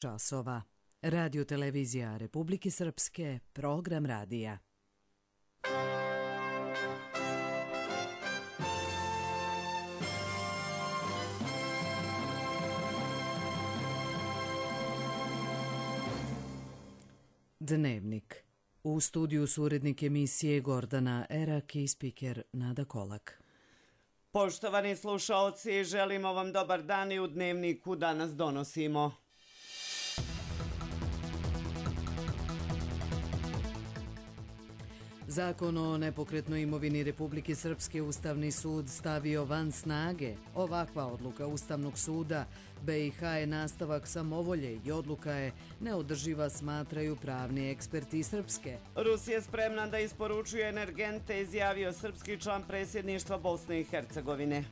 časova. Radio televizija Republike Srpske, program radija. Dnevnik. U studiju su urednik emisije Gordana Erak i spiker Nada Kolak. Poštovani slušaoci, želimo vam dobar dan i u Dnevniku danas donosimo. Zakon o nepokretnoj imovini Republike Srpske Ustavni sud stavio van snage. Ovakva odluka Ustavnog suda BiH je nastavak samovolje i odluka je neodrživa, smatraju pravni eksperti Srpske. Rusija je spremna da isporučuje energente, izjavio srpski član predsjedništva Bosne i Hercegovine.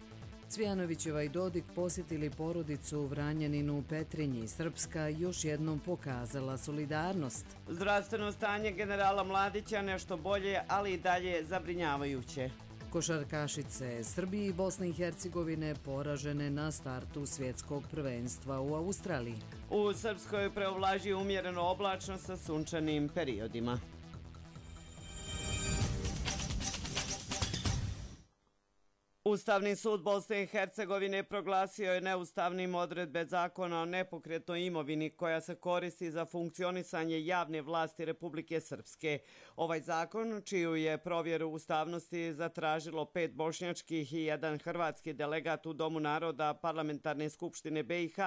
Cvijanovićeva i Dodik posjetili porodicu u Vranjaninu u Petrinji. Srpska još jednom pokazala solidarnost. Zdravstveno stanje generala Mladića nešto bolje, ali i dalje zabrinjavajuće. Košarkašice Srbije i Bosne i Hercegovine poražene na startu svjetskog prvenstva u Australiji. U Srpskoj preovlaži umjereno oblačno sa sunčanim periodima. Ustavni sud Bosne i Hercegovine proglasio je neustavnim odredbe zakona o nepokretnoj imovini koja se koristi za funkcionisanje javne vlasti Republike Srpske. Ovaj zakon, čiju je provjeru ustavnosti zatražilo 5 bošnjačkih i 1 hrvatski delegat u Domu naroda Parlamentarne skupštine BiH,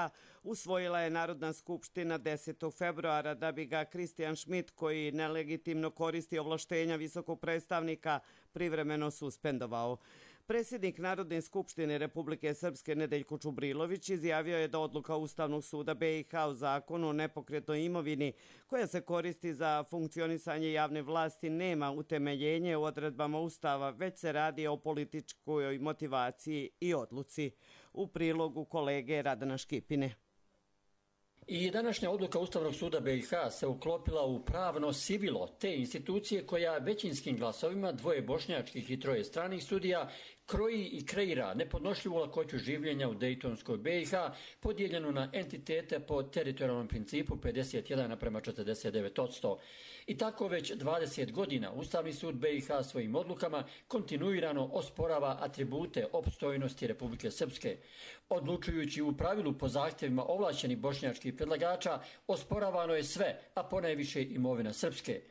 usvojila je Narodna skupština 10. februara da bi ga Kristijan Šmit, koji nelegitimno koristi ovlaštenja visokog predstavnika, privremeno suspendovao. Predsjednik Narodne skupštine Republike Srpske Nedeljko Čubrilović izjavio je da odluka Ustavnog suda BiH o zakonu o nepokretnoj imovini koja se koristi za funkcionisanje javne vlasti nema utemeljenje u odredbama Ustava, već se radi o političkoj motivaciji i odluci. U prilogu kolege Radana Škipine. I današnja odluka Ustavnog suda BiH se uklopila u pravno sivilo te institucije koja većinskim glasovima, 2 bošnjačkih i 3 stranih sudija, kroji i kreira nepodnošljivu lakoću življenja u Dejtonskoj BiH, podijeljenu na entitete po teritorijalnom principu 51:49%. I tako već 20 godina Ustavni sud BiH svojim odlukama kontinuirano osporava atribute opstojnosti Republike Srpske. Odlučujući u pravilu po zahtjevima ovlašćenih bošnjačkih predlagača, osporavano je sve, a ponajviše imovina Srpske.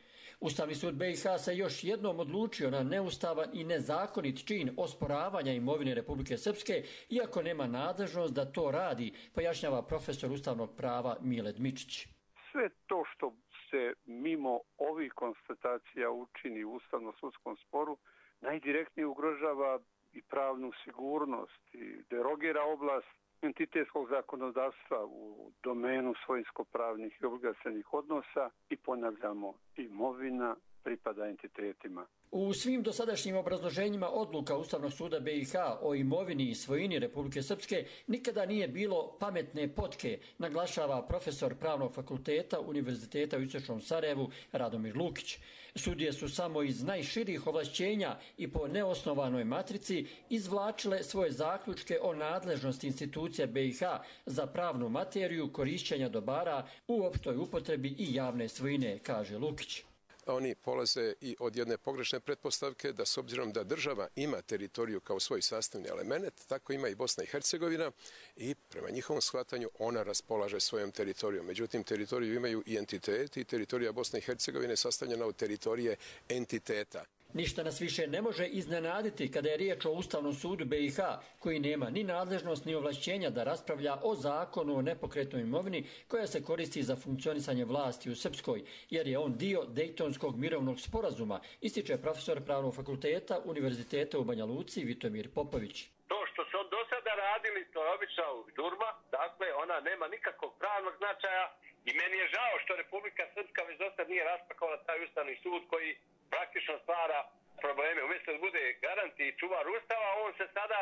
Ustavni sud BiH se još jednom odlučio na neustavan i nezakonit čin osporavanja imovine Republike Srpske, iako nema nadležnost da to radi, pojašnjava profesor ustavnog prava Mile Dmičić. Sve to što se mimo ovih konstatacija učini u ustavno-sudskom sporu, najdirektnije ugrožava i pravnu sigurnost i derogira oblast entitetskog zakonodavstva u domenu svojinsko-pravnih i obligacionih odnosa i ponavljamo, imovina pripada entitetima. U svim dosadašnjim obrazloženjima odluka Ustavnog suda BiH o imovini i svojini Republike Srpske nikada nije bilo pametne potke, naglašava profesor Pravnog fakulteta Univerziteta u Istočnom Sarajevu Radomir Lukić. Sudije su samo iz najširih ovlašćenja i po neosnovanoj matrici izvlačile svoje zaključke o nadležnosti institucija BiH za pravnu materiju korišćenja dobara u opštoj upotrebi i javne svojine, kaže Lukić. Oni polaze i od jedne pogrešne pretpostavke da s obzirom da država ima teritoriju kao svoj sastavni element, tako ima i Bosna i Hercegovina i prema njihovom shvatanju ona raspolaže svojom teritorijom. Međutim, teritoriju imaju i entiteti i teritorija Bosne i Hercegovine sastavljena od teritorije entiteta. Ništa nas više ne može iznenaditi kada je riječ o Ustavnom sudu BiH, koji nema ni nadležnost ni ovlašćenja da raspravlja o zakonu o nepokretnoj imovini koja se koristi za funkcionisanje vlasti u Srpskoj, jer je on dio Dejtonskog mirovnog sporazuma, ističe profesor Pravnog fakulteta Univerziteta u Banja Luci Vitomir Popović. To što su do sada radili, to je obična žurba, dakle ona nema nikakvog pravnog značaja i meni je žao što Republika Srpska već dosta nije raspakovala taj Ustavni sud koji praktično stvara probleme. Umjesto da bude garant i čuvar Ustava, on se sada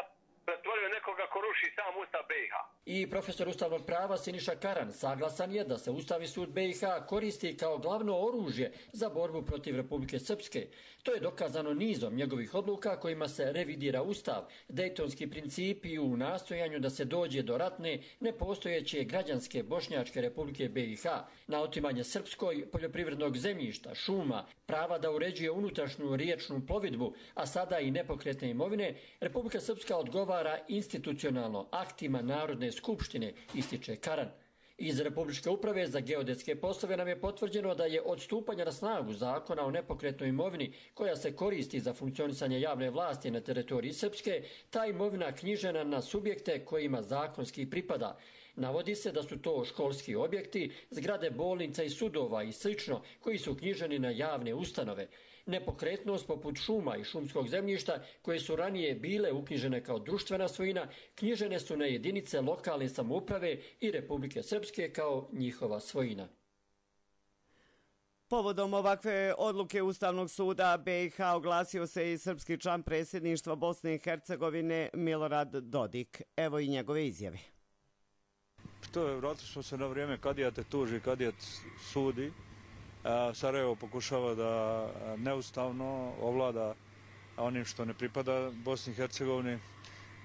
pretvorio nekoga ko ruši sam Ustav BiH. I profesor ustavnog prava Siniša Karan saglasan je da se Ustavni sud BiH koristi kao glavno oružje za borbu protiv Republike Srpske. To je dokazano nizom njegovih odluka kojima se revidira Ustav, dejtonski principi u nastojanju da se dođe do ratne, nepostojeće građanske Bošnjačke Republike BiH, na otimanje srpskoj poljoprivrednog zemljišta, šuma, prava da uređuje unutrašnju riječnu plovidbu, a sada i nepokretne imovine, Republika Srpska odgovara institucionalno aktima Narodne skupštine, ističe Karan. Iz Republičke uprave za geodetske poslove nam je potvrđeno da je od stupanja na snagu zakona o nepokretnoj imovini koja se koristi za funkcionisanje javne vlasti na teritoriji Srpske, ta imovina knjižena na subjekte kojima zakonski pripada. Navodi se da su to školski objekti, zgrade bolnica i sudova i slično koji su knjiženi na javne ustanove. Nepokretnost poput šuma i šumskog zemljišta koje su ranije bile uknjižene kao društvena svojina, knjižene su na jedinice lokalne samouprave i Republike Srpske kao njihova svojina. Povodom ovakve odluke Ustavnog suda BiH oglasio se i srpski član predsjedništva Bosne i Hercegovine Milorad Dodik. Evo i njegove izjave. To je, vratili smo se na vrijeme kadija te tuži, kadija sudi. Sarajevo pokušava da neustavno ovlada onim što ne pripada Bosni i Hercegovini,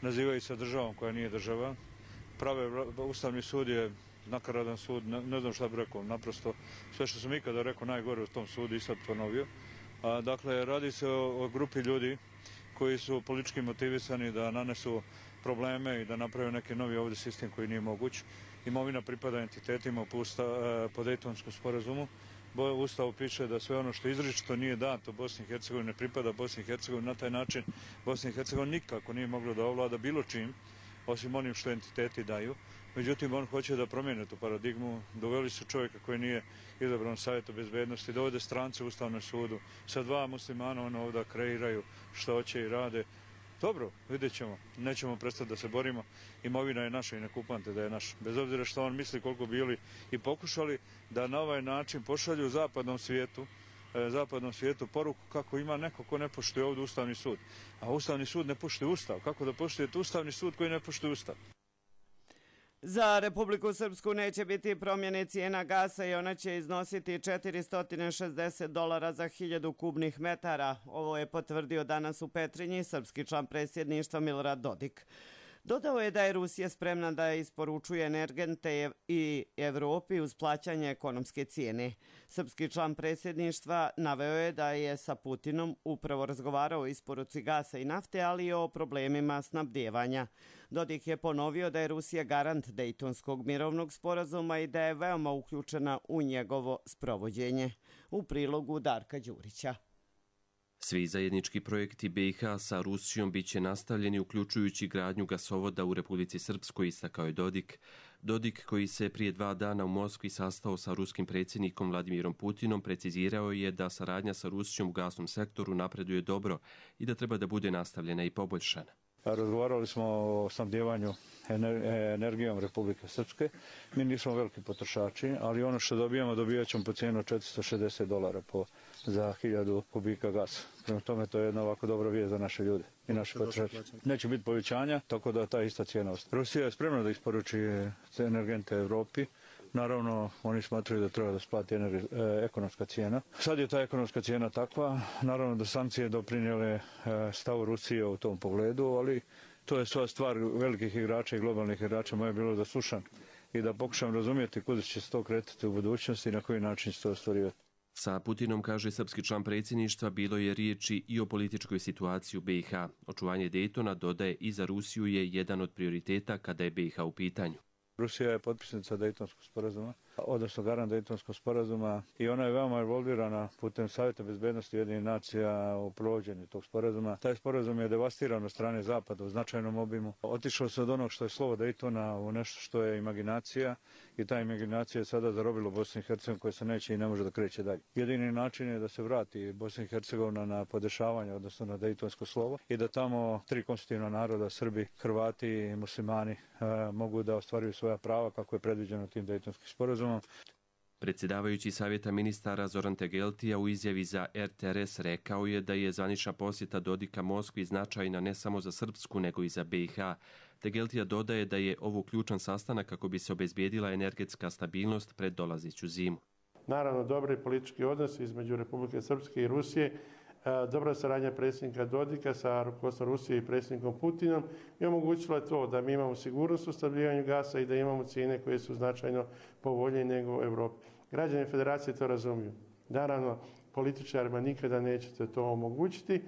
nazivaju se državom koja nije država. Ustavni sud je nakaradan sud, ne znam šta bih rekao, naprosto sve što sam ikada rekao najgore u tom sudu i sad ponovio. Dakle, radi se o grupi ljudi koji su politički motivisani da nanesu probleme i da naprave neki novi ovdje sistem koji nije moguć. Imovina pripada entitetima po Dejtonskom sporazumu. U Ustavu piše da sve ono što izričito nije dato Bosni i Hercegovini ne pripada Bosni i Hercegovini. Na taj način Bosna i Hercegovina nikako nije mogla da ovlada bilo čim, osim onim što entiteti daju. Međutim, on hoće da promijene tu paradigmu. Doveli su čovjeka koji nije izabran Savjetu bezbednosti, dovode strance u Ustavnom sudu. Sa dva muslimana ono ovdje kreiraju što hoće i rade. Dobro, vidjet ćemo. Nećemo prestati da se borimo. Imovina je naša i ne kupante da je naša. Bez obzira što on misli koliko bili i pokušali da na ovaj način pošalju zapadnom svijetu poruku kako ima neko ko ne poštuje ovdje Ustavni sud. A Ustavni sud ne poštuje Ustav. Kako da poštujete Ustavni sud koji ne poštuje Ustav? Za Republiku Srpsku neće biti promjene cijena gasa i ona će iznositi $460 za 1000 kubnih metara. Ovo je potvrdio danas u Petrinji srpski član predsjedništva Milorad Dodik. Dodao je da je Rusija spremna da isporučuje energente i Evropi uz plaćanje ekonomske cijene. Srpski član predsjedništva naveo je da je sa Putinom upravo razgovarao o isporuci gasa i nafte, ali i o problemima snabdijevanja. Dodik je ponovio da je Rusija garant Dejtonskog mirovnog sporazuma i da je veoma uključena u njegovo sprovođenje. U prilogu Darka Đurića. Svi zajednički projekti BiH sa Rusijom biće nastavljeni, uključujući gradnju gasovoda u Republici Srpskoj, istakao je Dodik. Dodik, koji se prije 2 dana u Moskvi sastao sa ruskim predsjednikom Vladimirom Putinom, precizirao je da saradnja sa Rusijom u gasnom sektoru napreduje dobro i da treba da bude nastavljena i poboljšana. Razgovarali smo o snabdijevanju energijom Republike Srpske. Mi nismo veliki potrošači, ali ono što dobijat ćemo po cijenu $460 za 1000 kubika gasa. Prema tome to je jedna ovako dobra vijest za naše ljude i naše potrošače. Neće biti povećanja, tako da ta ista cijena ostaje. Rusija je spremna da isporuči energente Evropi. Naravno, oni smatraju da treba da splati ekonomska cijena. Sad je ta ekonomska cijena takva. Naravno da sankcije doprinijele stavu Rusije u tom pogledu, ali to je sva stvar velikih igrača i globalnih igrača. Moje je bilo da slušam i da pokušam razumjeti kuda će se to kretati u budućnosti i na koji način će to ostvarivati. Sa Putinom, kaže srpski član predsjedništva, bilo je riječi i o političkoj situaciji u BiH. Očuvanje Dejtona, dodaje, i za Rusiju je jedan od prioriteta kada je BiH u pitanju. Rusija je potpisnica Dejtonskog sporazuma, odnosno garant Dejtonskog sporazuma, i ona je veoma involvirana putem Savjeta bezbednosti Ujedinjenih nacija u provođenju tog sporazuma. Taj sporazum je devastiran od strane Zapada u značajnom obimu. Otišlo se od onog što je slovo Dejtona u nešto što je imaginacija i ta imaginacija je sada zarobila Bosnu i Hercegovinu koja se neće i ne može da kreće dalje. Jedini način je da se vrati Bosna i Hercegovina na podešavanje, odnosno na Dejtonsko slovo, i da tamo 3 konstitutivna naroda, Srbi, Hrvati i muslimani, mogu da ostvaruju svoja prava kako je predviđeno tim Dejtonskim sporazumom. Predsjedavajući savjeta ministara Zoran Tegeltija u izjavi za RTRS rekao je da je zvanična posjeta Dodika Moskvi značajna ne samo za Srpsku nego i za BiH. Tegeltija dodaje da je ovo ključan sastanak kako bi se obezbijedila energetska stabilnost pred dolazeću zimu. Naravno, dobri politički odnosi između Republike Srpske i Rusije, dobra saradnja predsjednika Dodika sa rukovodstvom Rusije i predsjednikom Putinom je omogućila to da mi imamo sigurnost u snabdijevanju gasa i da imamo cijene koje su značajno povoljnije nego u Europi. Građani Federacije to razumiju. Naravno, političarima nikada nećete to omogućiti.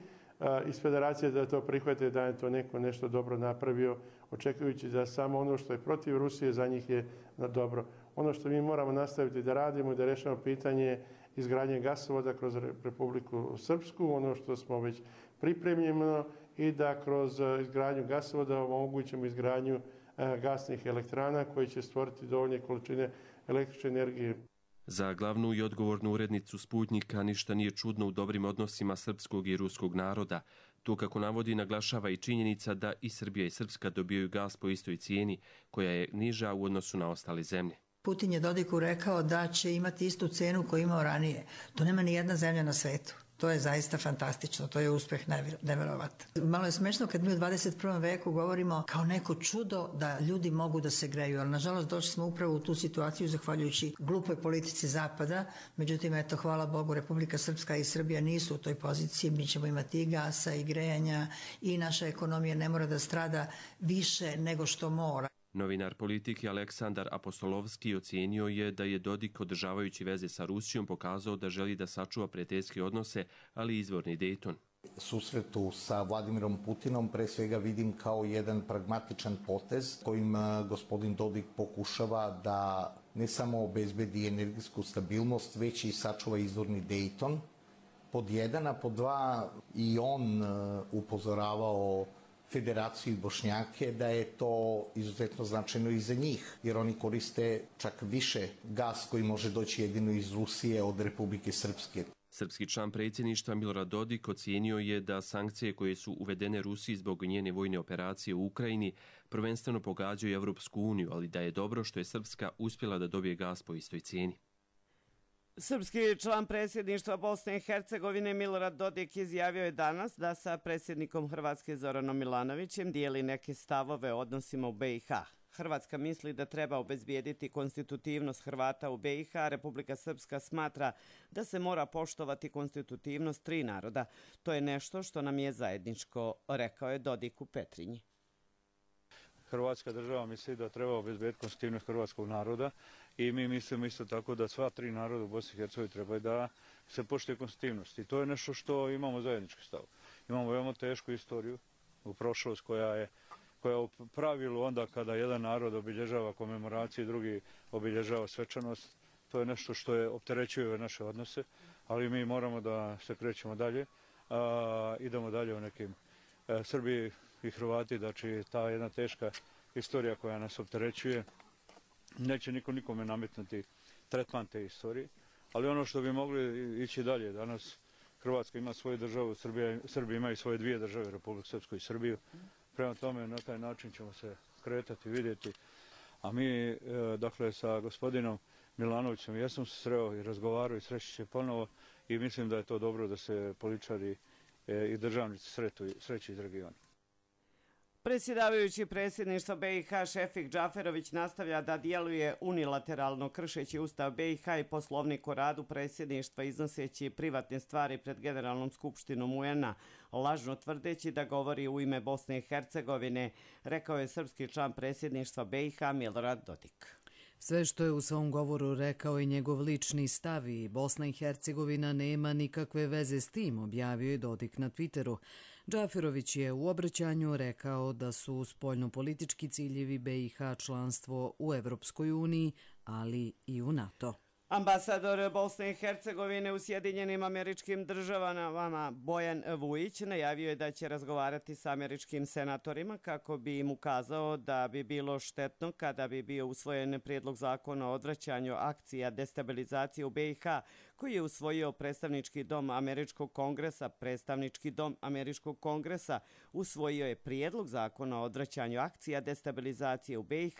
Iz Federacije da to prihvate da je to neko nešto dobro napravio, očekujući da samo ono što je protiv Rusije za njih je dobro. Ono što mi moramo nastaviti da radimo i da rešavamo pitanje izgradnje gasovoda kroz Republiku Srpsku, ono što smo već pripremljeno i da kroz izgradnju gasovoda omogućimo izgradnju gasnih elektrana koji će stvoriti dovoljne količine električne energije. Za glavnu i odgovornu urednicu Sputnjika ništa nije čudno u dobrim odnosima srpskog i ruskog naroda. To, kako navodi, naglašava i činjenica da i Srbija i Srpska dobijaju gas po istoj cijeni, koja je niža u odnosu na ostale zemlje. Putin je Dodiku rekao da će imati istu cenu koju imao ranije. To nema ni jedna zemlja na svetu. To je zaista fantastično, to je uspeh neverovatan. Malo je smešno kad mi u 21. veku govorimo kao neko čudo da ljudi mogu da se greju, ali nažalost došli smo upravo u tu situaciju zahvaljujući glupoj politici Zapada. Međutim, eto, hvala Bogu, Republika Srpska i Srbija nisu u toj poziciji. Mi ćemo imati i gasa i grejanja i naša ekonomija ne mora da strada više nego što mora. Novinar politike Aleksandar Apostolovski ocijenio je da je Dodik, održavajući veze sa Rusijom, pokazao da želi da sačuva prijateljske odnose, ali i izvorni Dejton. Susretu sa Vladimirom Putinom pre svega vidim kao jedan pragmatičan potez kojim gospodin Dodik pokušava da ne samo obezbedi energetsku stabilnost, već i sačuva izvorni Dejton. Pod jedan, a pod dva i on upozoravao Federaciju i Bošnjake da je to izuzetno značajno i za njih, jer oni koriste čak više gas koji može doći jedino iz Rusije od Republike Srpske. Srpski član predsjedništva Milorad Dodik ocijenio je da sankcije koje su uvedene Rusiji zbog njene vojne operacije u Ukrajini prvenstveno pogađaju Evropsku uniju, ali da je dobro što je Srpska uspjela da dobije gas po istoj cijeni. Srpski član predsjedništva Bosne i Hercegovine Milorad Dodik izjavio je danas da sa predsjednikom Hrvatske Zoranom Milanovićem dijeli neke stavove o odnosima u BiH. Hrvatska misli da treba obezbijediti konstitutivnost Hrvata u BiH, Republika Srpska smatra da se mora poštovati konstitutivnost tri naroda. To je nešto što nam je zajedničko, rekao je Dodik u Petrinji. Hrvatska država misli da treba obezbediti konstitutivnost hrvatskog naroda i mi mislimo isto tako da sva tri naroda u Bosni i Hercegovini treba da se poštuje konstitutivnost. I to je nešto što imamo zajednički stav. Imamo veoma tešku istoriju u prošlost koja u pravilu onda kada jedan narod obilježava komemoraciju, drugi obilježava svečanost, to je nešto što je opterećuje naše odnose, ali mi moramo da se krećemo dalje, idemo dalje u nekim Srbiji i Hrvati, znači ta jedna teška istorija koja nas opterećuje, neće niko nikome nametnuti tretman te istorije, ali ono što bi mogli ići dalje, danas Hrvatska ima svoju državu, Srbija imaju svoje dvije države, Republiku Srpsku i Srbiju, prema tome na taj način ćemo se kretati, vidjeti, a mi, dakle, sa gospodinom Milanovićem, ja sam se sreo i razgovarao i sreći će ponovo i mislim da je to dobro da se političari i državnici sreći iz regiona. Predsjedavajući predsjedništva BiH Šefik Džaferović nastavlja da djeluje unilateralno kršeći Ustav BiH i Poslovnik o radu predsjedništva iznoseći privatne stvari pred Generalnom skupštinom UN-a, lažno tvrdeći da govori u ime Bosne i Hercegovine, rekao je srpski član predsjedništva BiH Milorad Dodik. Sve što je u svom govoru rekao i njegov lični stav i Bosna i Hercegovina nema nikakve veze s tim, objavio je Dodik na Twitteru. Džaferović je u obraćanju rekao da su spoljnopolitički ciljevi BiH članstvo u Evropskoj uniji, ali i u NATO. Ambasador Bosne i Hercegovine u Sjedinjenim Američkim Državama Bojan Vujić najavio je da će razgovarati sa američkim senatorima kako bi im ukazao da bi bilo štetno kada bi bio usvojen prijedlog zakona o odvraćanju akcija destabilizacije u BiH koji je usvojio predstavnički dom Američkog kongresa. Predstavnički dom Američkog kongresa usvojio je prijedlog zakona o odvraćanju akcija destabilizacije u BiH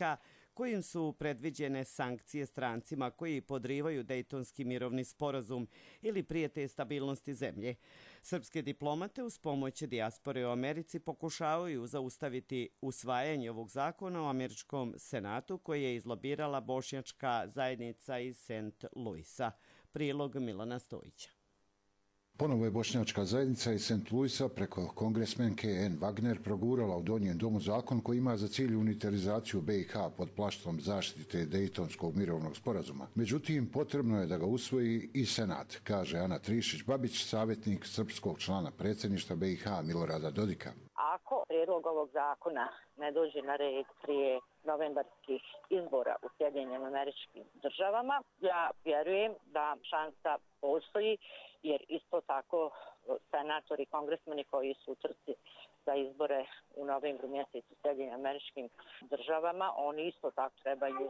kojim su predviđene sankcije strancima koji podrivaju Dejtonski mirovni sporazum ili prijete stabilnosti zemlje. Srpske diplomate uz pomoć dijaspore u Americi pokušavaju zaustaviti usvajanje ovog zakona u američkom senatu koji je izlobirala bošnjačka zajednica iz St. Louisa. Prilog Milana Stojića. Ponovo je bošnjačka zajednica iz St. Louisa preko kongresmenke Ann Wagner progurala u Donjem domu zakon koji ima za cilj unitarizaciju BiH pod plaštom zaštite Dejtonskog mirovnog sporazuma. Međutim, potrebno je da ga usvoji i Senat, kaže Ana Trišić-Babić, savjetnik srpskog člana predsjedništva BiH Milorada Dodika. Ako prijedlog ovog zakona ne dođe na red prije novembarskih izbora u Sjedinjenim Američkim Državama, ja vjerujem da šansa postoji, jer isto tako senatori i kongresmeni koji su u trci za izbore u novembru mjesecu u Sjedinjenim Američkim Državama, oni isto tako trebaju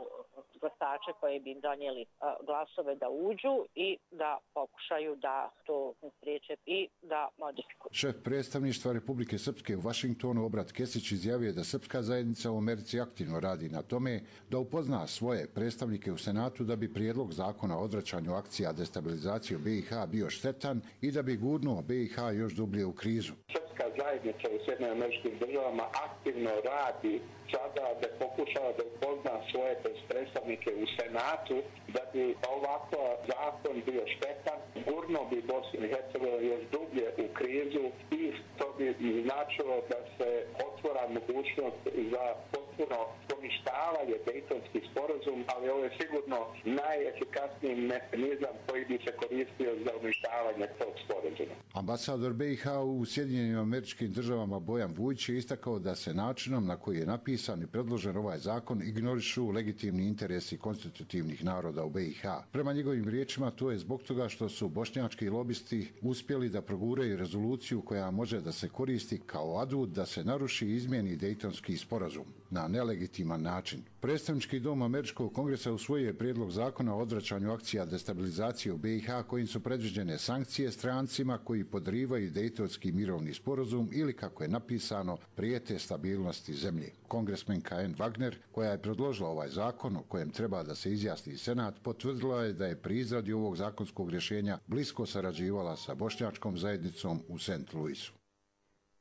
glasače koji bi im donijeli glasove da uđu i da pokušaju da to spriječe i da modifikuju. Šef predstavništva Republike Srpske u Vašingtonu Obrat Kesić izjavio da srpska zajednica u Americi aktivno radi na tome da upozna svoje predstavnike u Senatu da bi prijedlog zakona o odvraćanju akcija destabilizacije BiH bio štetan i da bi gurnuo BiH još dublje u krizu. Srpska zajednica u Sjedinjenim Američkim Državama aktivno radi sada da pokušava da upozna svoje predstavnike u Senatu da bi ovako zakon bio štetan, gurnuo bi Bosnu i Hercegovinu još dublje u krizu i to bi značilo da se otvora mogućnost za potpuno poništavanje Dejtonski sporazum, ali ovo je sigurno najefikasniji mehanizam koji bi se koristio za uništavanje tog sporazuma. Ambasador BiH u Sjedinjenim Američkim Državama Bojan Vujić je istakao da se načinom na koji je napisan i predložen ovaj zakon ignorišu legitimni interesi konstitutivnih naroda u BiH. Prema njegovim riječima to je zbog toga što su bošnjački lobisti uspjeli da proguraju rezoluciju koja može da se koristi kao adut da se naruši i izmijeni Dejtonski sporazum na nelegitiman način. Predstavnički dom Američkog kongresa usvojio je prijedlog zakona o odvraćanju akcija destabilizacije u BiH kojim su predviđene sankcije strancima koji podrivaju Dejtonski mirovni sporazum ili, kako je napisano, prijete stabilnosti zemlje. Kongresmenka Ann Wagner, koja je predložila ovaj zakon o kojem treba da se izjasni Senat, potvrdila je da je pri izradi ovog zakonskog rješenja blisko sarađivala sa bošnjačkom zajednicom u St. Louisu.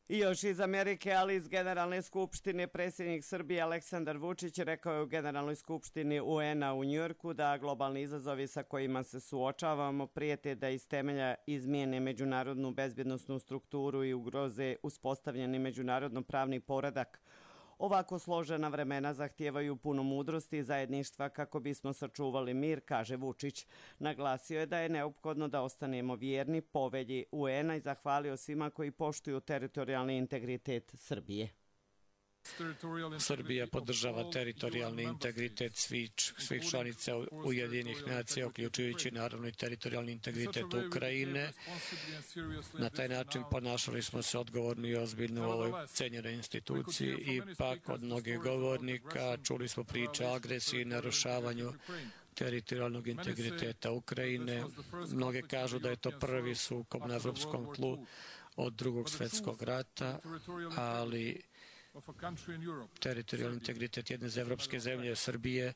I još iz Amerike, ali iz Generalne skupštine, predsjednik Srbije Aleksandar Vučić rekao je u Generalnoj skupštini UN-a u Njujorku da globalni izazovi sa kojima se suočavamo prijete da iz temelja izmijene međunarodnu bezbjednosnu strukturu i ugroze uspostavljeni međunarodno pravni poredak. Ovako složena vremena zahtijevaju puno mudrosti i zajedništva kako bismo sačuvali mir, kaže Vučić. Naglasio je da je neophodno da ostanemo vjerni povelji UN-a i zahvalio svima koji poštuju teritorijalni integritet Srbije. Srbija podržava teritorijalni integritet svih članica Ujedinjenih nacija, uključujući naravno i teritorijalni integritet Ukrajine. Na taj način ponašali smo se odgovorno i ozbiljno u ovoj cenjenoj instituciji. Ipak od mnogih govornika čuli smo priče o agresiji i narušavanju teritorijalnog integriteta Ukrajine. Mnoge kažu da je to prvi sukob na evropskom tlu od Drugog svjetskog rata, ali teritorijalni integritet jedne evropske zemlje, Srbije,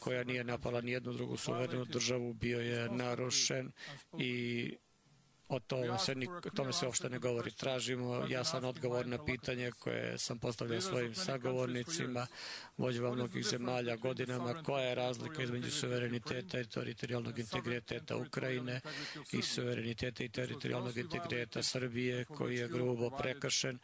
koja nije napala ni jednu drugu suverenu državu, bio je narušen i o tome se uopšte ne govori. Tražimo jasan odgovor na pitanje koje sam postavljao svojim sagovornicima, vođama mnogih zemalja godinama, koja je razlika između suvereniteta i teritorijalnog integriteta Ukrajine i suvereniteta i teritorijalnog integriteta Srbije, koji je grubo prekršen.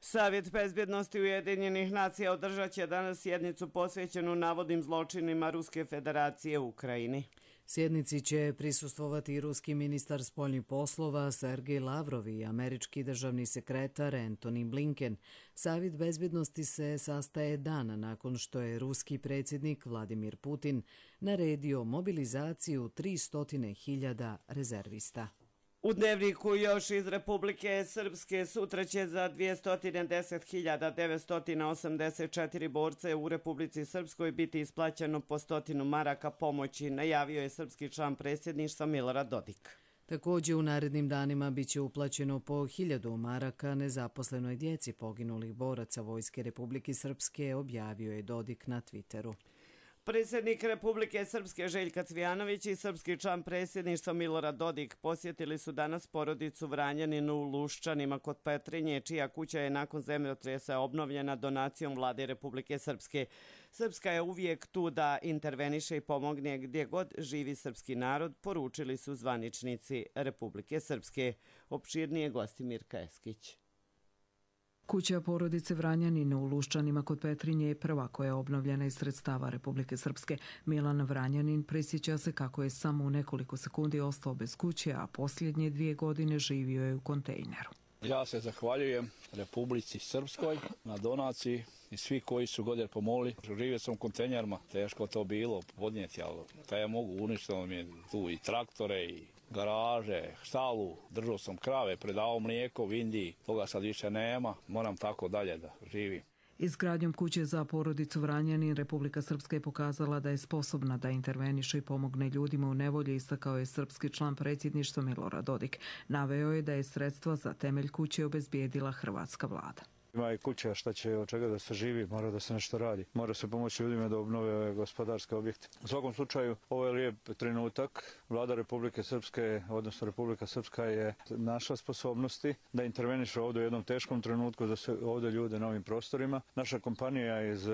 Savjet bezbjednosti Ujedinjenih nacija održat će danas sjednicu posvećenu navodnim zločinima Ruske federacije u Ukrajini. Sjednici će prisustvovati i ruski ministar spoljnih poslova Sergej Lavrov i američki državni sekretar Antony Blinken. Savjet bezbjednosti se sastaje dana nakon što je ruski predsjednik Vladimir Putin naredio mobilizaciju 300.000 rezervista. U Dnevniku još iz Republike Srpske sutra će za 210.984 borce u Republici Srpskoj biti isplaćeno po 100 maraka pomoći, najavio je srpski član predsjedništva Milorad Dodik. Također u narednim danima bit će uplaćeno po 1000 maraka nezaposlenoj djeci poginulih boraca Vojske Republike Srpske, objavio je Dodik na Twitteru. Predsjednik Republike Srpske Željka Cvijanović i srpski član predsjedništva Milorad Dodik posjetili su danas porodicu Vranjaninu u Luščanima kod Petrinje, čija kuća je nakon zemljotresa obnovljena donacijom vlade Republike Srpske. Srpska je uvijek tu da interveniše i pomogne gdje god živi srpski narod, poručili su zvaničnici Republike Srpske. Opširnije gosti Mirka Eskić. Kuća porodice Vranjanin u Luščanima kod Petrinje je prva koja je obnovljena iz sredstava Republike Srpske. Milan Vranjanin prisjeća se kako je samo u nekoliko sekundi ostao bez kuće, a posljednje 2 godine živio je u kontejneru. Ja se zahvaljujem Republici Srpskoj na donaciji i svi koji su godine pomogli. Živio sam u kontejnerima, teško to bilo podnijeti, ali kaj ja mogu, uništeno mi je tu i traktore i garaže, štalu, držao sam krave, predavao mlijeko u Indiji, toga sad više nema, moram tako dalje da živim. Izgradnjom kuće za porodicu Vranjanin Republika Srpska je pokazala da je sposobna da interveniše i pomogne ljudima u nevolji, istakao je srpski član predsjedništva Milorad Dodik. Naveo je da je sredstva za temelj kuće obezbijedila hrvatska vlada. Ima i kuća, šta će od čega da se živi, mora da se nešto radi. Mora se pomoći ljudima da obnove ove gospodarske objekte. U svakom slučaju, ovo je lijep trenutak. Vlada Republike Srpske, odnosno Republika Srpska je našla sposobnosti da interveniše ovdje u jednom teškom trenutku za sve ovdje ljude na ovim prostorima. Naša kompanija iz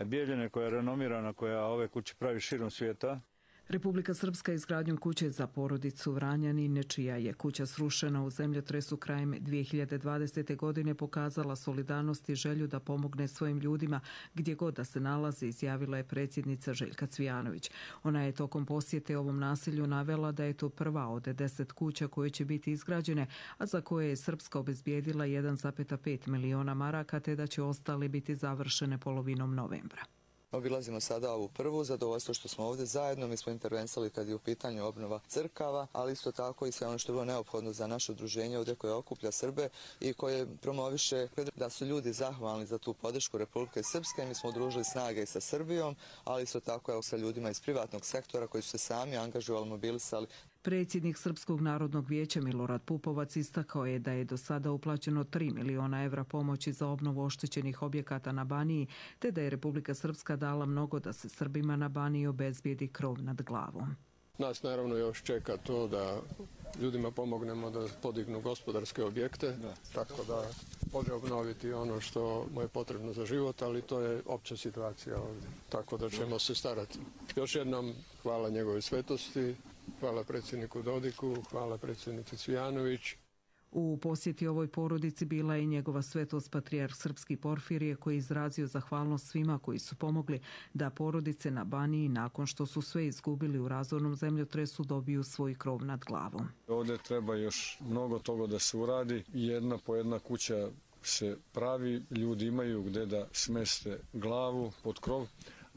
Bijeljine koja je renomirana, koja ove kuće pravi širom svijeta. Republika Srpska izgradnjom kuće za porodicu Vranjanin, čija je kuća srušena u zemljotresu krajem 2020. godine, pokazala solidarnost i želju da pomogne svojim ljudima gdje god da se nalazi, izjavila je predsjednica Željka Cvijanović. Ona je tokom posjete ovom naselju navela da je to prva od 10 kuća koje će biti izgrađene, a za koje je Srpska obezbijedila 1,5 miliona maraka, te da će ostale biti završene polovinom novembra. Obilazimo sada ovu prvu, zadovoljstvo što smo ovdje zajedno, mi smo intervenisali kad je u pitanju obnova crkava, ali isto tako i sve ono što je bilo neophodno za naše udruženje ovdje koje okuplja Srbe i koje promoviše da su ljudi zahvalni za tu podršku Republike Srpske. Mi smo udružili snage i sa Srbijom, ali isto tako sa ljudima iz privatnog sektora koji su se sami angažovali, mobilisali. Predsjednik Srpskog narodnog vijeća Milorad Pupovac istakao je da je do sada uplaćeno 3 miliona evra pomoći za obnovu oštećenih objekata na Baniji, te da je Republika Srpska dala mnogo da se Srbima na Baniji obezbijedi krov nad glavom. Nas naravno još čeka to da ljudima pomognemo da podignu gospodarske objekte, tako da može obnoviti ono što mu je potrebno za život, ali to je opća situacija ovdje, tako da ćemo se starati. Još jednom hvala njegove svetosti, hvala predsjedniku Dodiku, hvala predsjednici Cvijanović. U posjeti ovoj porodici bila je i njegova svetost patrijarh Srpski Porfirije, koji je izrazio zahvalnost svima koji su pomogli da porodice na Baniji, nakon što su sve izgubili u razornom zemljotresu, dobiju svoj krov nad glavom. Ovdje treba još mnogo toga da se uradi. Jedna po jedna kuća se pravi, ljudi imaju gdje da smeste glavu pod krov,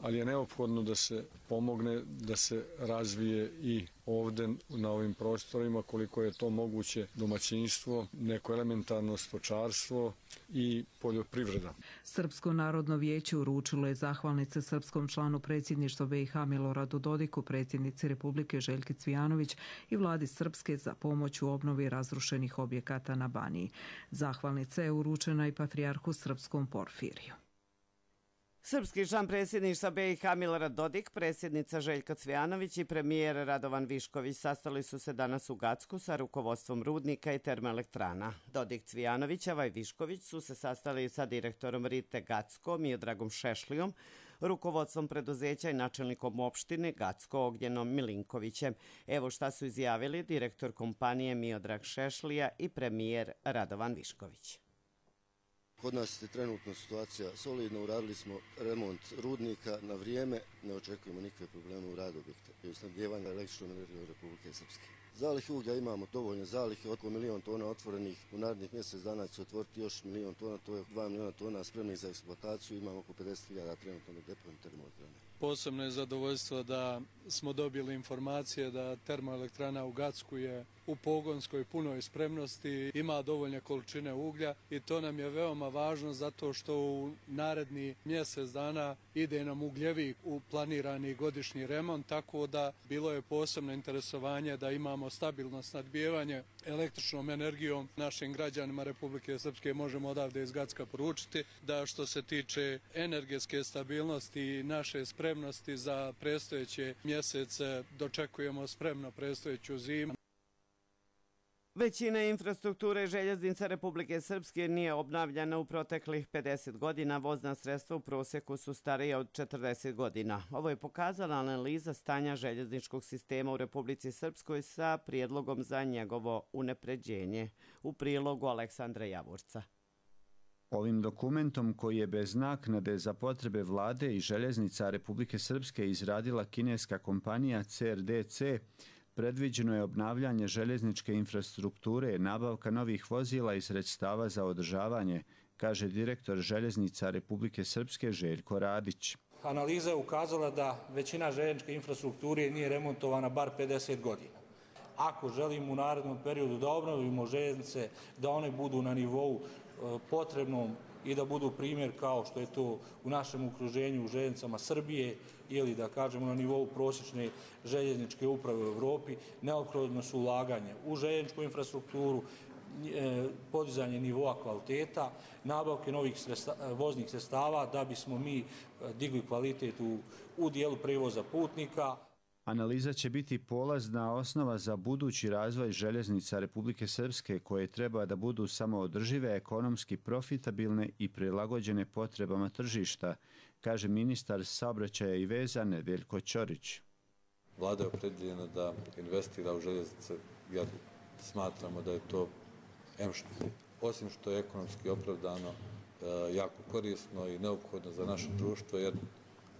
ali je neophodno da se pomogne, da se razvije i ovdje na ovim prostorima koliko je to moguće domaćinstvo, neko elementarno stočarstvo i poljoprivreda. Srpsko narodno vijeće uručilo je zahvalnice srpskom članu predsjedništva BiH Miloradu Dodiku, predsjednici Republike Željki Cvijanović i vladi Srpske za pomoć u obnovi razrušenih objekata na Baniji. Zahvalnica je uručena i patrijarhu Srpskom Porfiriju. Srpski član predsjedništva BiH Milorad Dodik, predsjednica Željka Cvijanović i premijer Radovan Višković sastali su se danas u Gacku sa rukovodstvom rudnika i termoelektrana. Dodik, Cvijanovićeva i Višković su se sastali sa direktorom Rite Gacko Miodragom Šešlijom, rukovodstvom preduzeća i načelnikom opštine Gacko Ognjenom Milinkovićem. Evo šta su izjavili direktor kompanije Miodrag Šešlija i premijer Radovan Višković. Kod nas je trenutno situacija solidna, uradili smo remont rudnika na vrijeme, ne očekujemo nikakve probleme u radu objekta i u snabdjevanju električnom energijom Republike Srpske. Zalihe uglja imamo dovoljne zalihe, oko 1 milion tona otvorenih, u narednih mjesec dana će se otvoriti još 1 milion tona, to je 2 miliona tona spremnih za eksploataciju, imamo oko 50.000 trenutno na deponiju termoelektrane. Posebno je zadovoljstvo da smo dobili informacije da termoelektrana u Gacku je u pogonskoj punoj spremnosti, ima dovoljne količine uglja i to nam je veoma važno zato što u naredni mjesec dana ide nam ugljevik u planirani godišnji remont, tako da bilo je posebno interesovanje da imamo stabilno snabdijevanje električnom energijom našim građanima Republike Srpske. Možemo odavde iz Gacka poručiti da što se tiče energetske stabilnosti i naše spremnosti za predstojeće mjesece dočekujemo spremno predstojeću zimu. Većina infrastrukture željeznica Republike Srpske nije obnavljana u proteklih 50 godina. Vozna sredstva u prosjeku su starija od 40 godina. Ovo je pokazala analiza stanja željezničkog sistema u Republici Srpskoj sa prijedlogom za njegovo unapređenje. U prilogu Aleksandra Javorca. Ovim dokumentom koji je bez naknade za potrebe vlade i željeznica Republike Srpske izradila kineska kompanija CRDC, predviđeno je obnavljanje željezničke infrastrukture, nabavka novih vozila i sredstava za održavanje, kaže direktor željeznica Republike Srpske Željko Radić. Analiza je ukazala da većina željezničke infrastrukture nije remontovana bar 50 godina. Ako želimo u narednom periodu da obnovimo željeznice, da one budu na nivou potrebnom i da budu primjer kao što je to u našem okruženju u željeznicama Srbije ili da kažemo na nivou prosječne željezničke uprave u Evropi, neophodno su ulaganje u željezničku infrastrukturu, podizanje nivoa kvaliteta, nabavke novih voznih sredstava da bismo mi digli kvalitet u dijelu prevoza putnika. Analiza će biti polazna osnova za budući razvoj željeznica Republike Srpske koje treba da budu samoodržive, ekonomski profitabilne i prilagođene potrebama tržišta, kaže ministar saobraćaja i veza Nedeljko Ćorić. Vlada je opredeljena da investira u željeznice. Ja smatramo da je to, osim što je ekonomski opravdano, jako korisno i neophodno za naše društvo, jer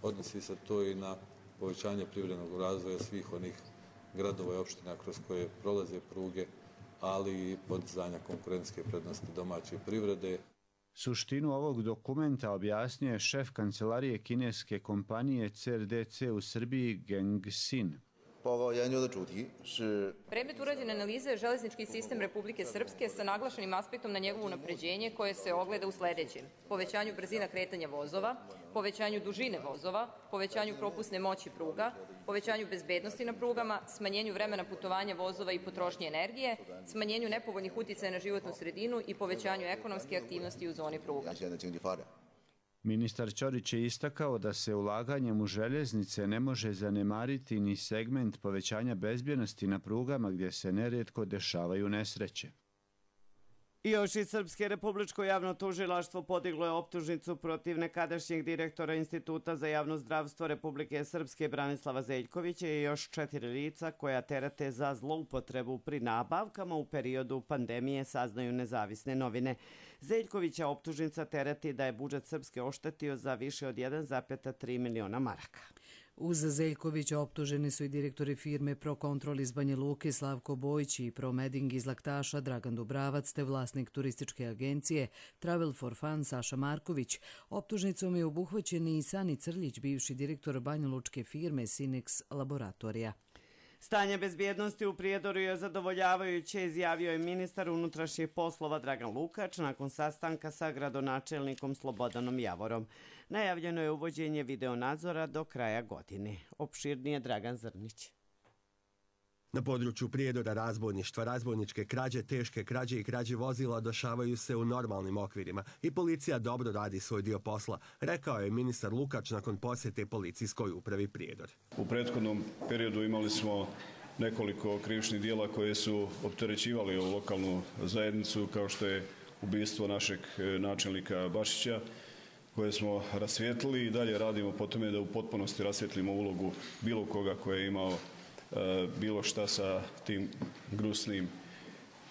odnosi se to i na povećanje privrednog razvoja svih onih gradova i opština kroz koje prolaze pruge, ali i podizanja konkurentske prednosti domaće privrede. Suštinu ovog dokumenta objasnio je šef kancelarije kineske kompanije CRDC u Srbiji Geng Xin. Predmet urađene analize je železnički sistem Republike Srpske sa naglašenim aspektom na njegovo unapređenje koje se ogleda u sledećem: povećanju brzina kretanja vozova, povećanju dužine vozova, povećanju propusne moći pruga, povećanju bezbednosti na prugama, smanjenju vremena putovanja vozova i potrošnje energije, smanjenju nepovoljnih uticaja na životnu sredinu i povećanju ekonomske aktivnosti u zoni pruga. Ministar Ćorić je istakao da se ulaganjem u željeznice ne može zanemariti ni segment povećanja bezbjednosti na prugama gdje se nerijetko dešavaju nesreće. I još iz Srpske republičko javno tužilaštvo podiglo je optužnicu protiv nekadašnjeg direktora Instituta za javno zdravstvo Republike Srpske Branislava Zeljkovića i još 4 lica koja terete za zloupotrebu pri nabavkama u periodu pandemije, saznaju nezavisne novine. Zeljkovića optužnica tereti da je budžet Srpske oštetio za više od 1,3 miliona maraka. Uz Zeljkovića optuženi su i direktori firme Prokontrol iz Banja Luke Slavko Bojić i Promeding iz Laktaša Dragan Dubravac te vlasnik turističke agencije Travel for Fun Saša Marković. Optužnicom je obuhvaćen i Sani Crljić, bivši direktor banjalučke firme Sinex Laboratorija. Stanje bezbjednosti u Prijedoru je zadovoljavajuće, izjavio je ministar unutrašnjih poslova Dragan Lukač nakon sastanka sa gradonačelnikom Slobodanom Javorom. Najavljeno je uvođenje videonadzora do kraja godine. Opširnije Dragan Zrnić. Na području Prijedora razbojništva, razbojničke krađe, teške krađe i krađe vozila dešavaju se u normalnim okvirima i policija dobro radi svoj dio posla, rekao je ministar Lukač nakon posjete policijskoj upravi Prijedor. U prethodnom periodu imali smo nekoliko krivičnih dijela koje su opterećivali ovu lokalnu zajednicu, kao što je ubistvo našeg načelnika Bašića, koje smo rasvijetlili i dalje radimo po tome da u potpunosti rasvijetlimo ulogu bilo koga koje je imao bilo šta sa tim gnusnim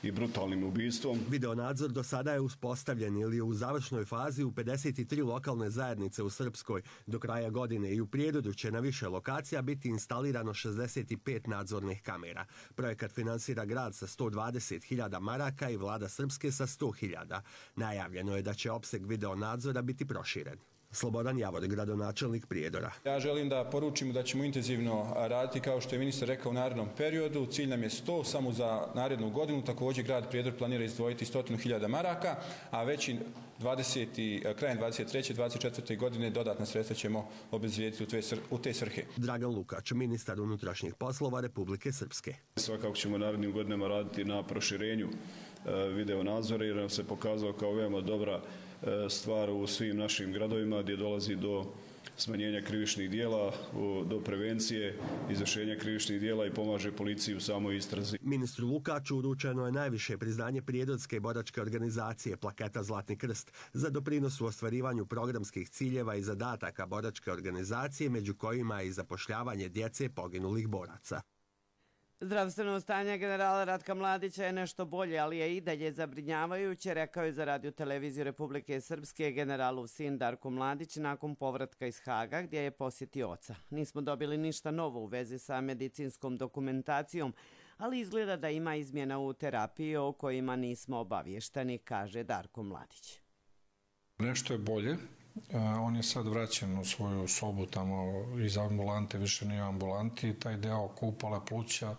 i brutalnim ubistvom. Videonadzor do sada je uspostavljen ili je u završnoj fazi u 53 lokalne zajednice u Srpskoj. Do kraja godine i u Prijedoru će na više lokacija biti instalirano 65 nadzornih kamera. Projekat finansira grad sa 120.000 maraka i vlada Srpske sa 100.000. Najavljeno je da će opseg videonadzora biti proširen. Slobodan Javor, gradonačelnik Prijedora. Ja želim da poručimo da ćemo intenzivno raditi, kao što je ministar rekao, u narednom periodu. Cilj nam je 100 samo za narednu godinu. Također grad Prijedor planira izdvojiti 100.000 maraka, a već krajem 23. 24. godine dodatna sredstva ćemo obezvijediti u te svrhe. Dragan Lukač, ministar unutrašnjih poslova Republike Srpske. Svakako ćemo narednim godinama raditi na proširenju video nadzora jer nam se pokazao kao veoma dobra stvar u svim našim gradovima gdje dolazi do smanjenja krivičnih dijela, do prevencije, izvršenja krivičnih dijela i pomaže policiji u samoj istrazi. Ministru Lukaču uručeno je najviše priznanje Prijedorske boračke organizacije Plaketa Zlatni krst za doprinos u ostvarivanju programskih ciljeva i zadataka boračke organizacije, među kojima je i zapošljavanje djece poginulih boraca. Zdravstveno stanje generala Ratka Mladića je nešto bolje, ali je i dalje zabrinjavajuće, rekao je za Radio televiziju Republike Srpske generalov sin Darko Mladić nakon povratka iz Haga gdje je posjetio oca. Nismo dobili ništa novo u vezi sa medicinskom dokumentacijom, ali izgleda da ima izmjena u terapiji o kojima nismo obavješteni, kaže Darko Mladić. Nešto je bolje. On je sad vraćen u svoju sobu tamo iz ambulante, više nije u ambulanti. Taj deo kupole pluća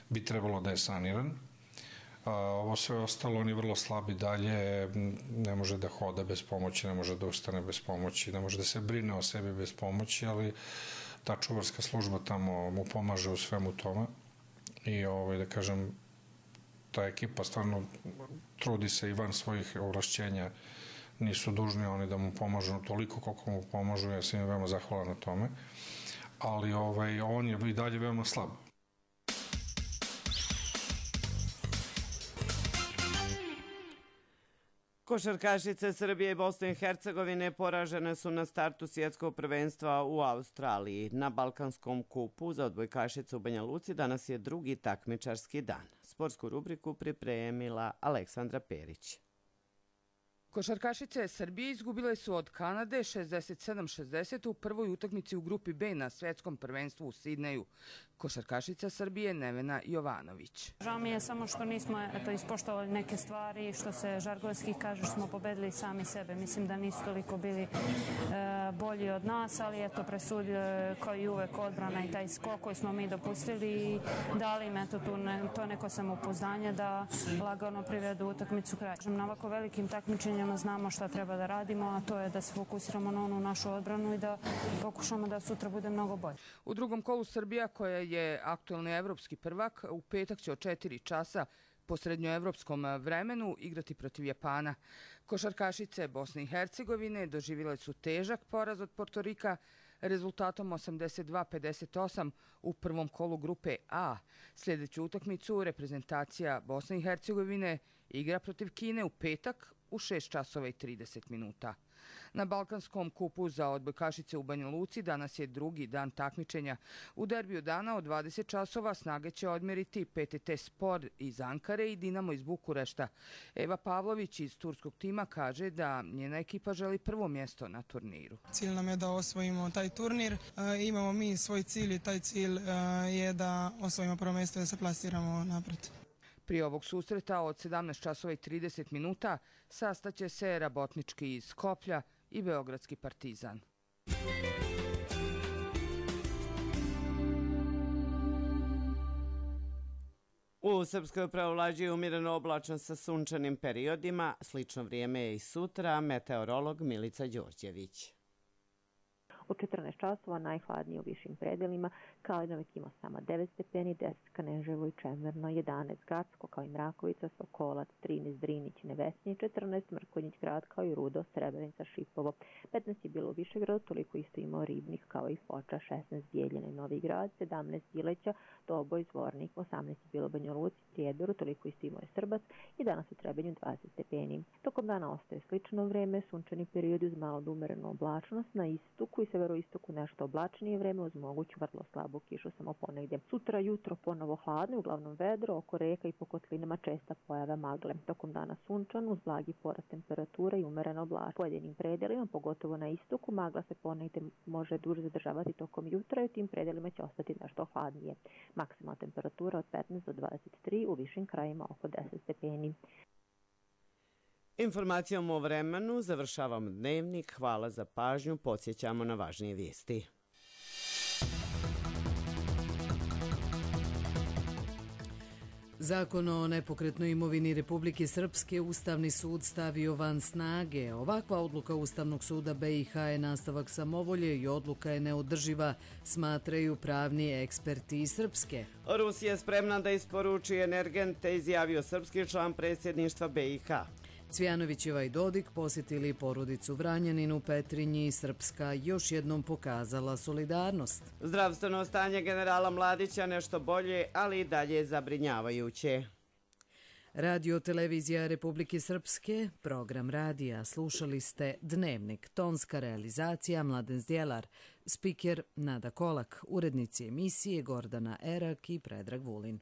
bi trebalo da je saniran. Ovo sve ostalo, on je vrlo slab i dalje, ne može da hoda bez pomoći, ne može da ustane bez pomoći, ne može da se brine o sebi bez pomoći, ali ta čuvarska služba tamo mu pomaže u svemu tome. I da kažem, ta ekipa stvarno trudi se i van svojih ovlašćenja, nisu dužni oni da mu pomažu toliko koliko mu pomažu, ja sam im veoma zahvalan na tome, ali on je i dalje veoma slab. Košarkašice Srbije i Bosne i Hercegovine poražene su na startu svjetskog prvenstva u Australiji. Na Balkanskom kupu za odbojkašice u Banja Luci danas je drugi takmičarski dan. Sportsku rubriku pripremila Aleksandra Perić. Košarkašice Srbije izgubile su od Kanade 67-60 u prvoj utakmici u grupi B na svjetskom prvenstvu u Sidneju. Košarkašica Srbije Nevena Jovanović. Žao mi je samo što nismo ispoštovali neke stvari, što se žargonski kaže, što smo pobedili sami sebe. Mislim da nisu toliko bili bolji od nas, ali eto presudio kao i uvek odbrana i taj skok koji smo mi dopustili i dali im to neko samopouzdanje da lagano privedu utakmicu kraj. Na ovako velikim takmičenjima znamo šta treba da radimo, a to je da se fokusiramo na onu našu odbranu i da pokušamo da sutra bude mnogo bolje. U drugom kolu Srbija, koja je aktuelni evropski prvak, u petak će od 4 časa po srednjoevropskom vremenu igrati protiv Japana. Košarkašice Bosne i Hercegovine doživjele su težak poraz od Portorika rezultatom 82-58 u prvom kolu grupe A. Sljedeću utakmicu reprezentacija Bosne i Hercegovine igra protiv Kine u petak u 6 časova i 30 minuta. Na Balkanskom kupu za odbojkašice u Banja Luci danas je drugi dan takmičenja. U derbiju dana od 20 časova snage će odmjeriti PTT Spor iz Ankare i Dinamo iz Bukurešta. Eva Pavlović iz turskog tima kaže da njena ekipa želi prvo mjesto na turniru. Cilj nam je da osvojimo taj turnir. Imamo mi svoj cilj i taj cilj je da osvojimo prvo mjesto i da se plasiramo napred. Prije ovog susreta od 17 časova i 30 minuta sastaće se Rabotnički iz Skoplja i Beogradski Partizan. U Srpskoj preovlađuje umjereno oblačno sa sunčanim periodima. Slično vrijeme je i sutra. Meteorolog Milica Đorđević. U 14 časova najhladnije u višim predelima, kao i Novi Kimo-Sama 9 stepeni, 10 Kaneževo i Čemerno, 11 Gacko, kao i Mrakovica, Sokolac, 13 Drinić, Nevesnije, 14 Mrkonjić grad, kao i Rudo, Srebrenica, Šipovo. 15 je bilo u Višegradu, toliko isto imao Ribnik, kao i Foča, 16 Bijeljina i Novi grad, 17 Bileća, Doboj, Zvornik, 18 je bilo u Banja Luci, Prijedoru, toliko isto imao je Srbac i danas u Trebinju 20 stepeni. Tokom dana ostaje slično vreme, sunčani period uz malo umerenu oblačnost, na istoku i severoistoku nešto oblačnije vreme uz moguću vrlo slabu kišu samo ponegdje. Sutra jutro ponovo hladno, uglavnom vedro, oko reka i po kotlinama česta pojava magle. Tokom dana sunčano uz blagi porast temperature i umerena oblačnost. U pojedinim predelima, pogotovo na istoku, magla se ponegdje može duže zadržavati tokom jutra i u tim predelima će ostati nešto hladnije. Maksimalna temperatura od 15 do 23, u višim krajima oko 10 stepeni. Informacijom o vremenu završavamo dnevnik. Hvala za pažnju. Podsjećamo na važnije vijesti. Zakon o nepokretnoj imovini Republike Srpske Ustavni sud stavio van snage. Ovakva odluka Ustavnog suda BiH je nastavak samovolje i odluka je neodrživa, smatraju pravni eksperti iz Srpske. Rusija je spremna da isporuči energente, izjavio srpski član predsjedništva BiH. Cvjanovićeva i Dodik posjetili porodicu Vranjanin u Petrinji i Srpska još jednom pokazala solidarnost. Zdravstveno stanje generala Mladića nešto bolje, ali i dalje zabrinjavajuće. Radio televizija Republike Srpske, program radija, slušali ste Dnevnik, tonska realizacija Mladen Zdjelar, spiker Nada Kolak, urednici emisije Gordana Erak i Predrag Vulin.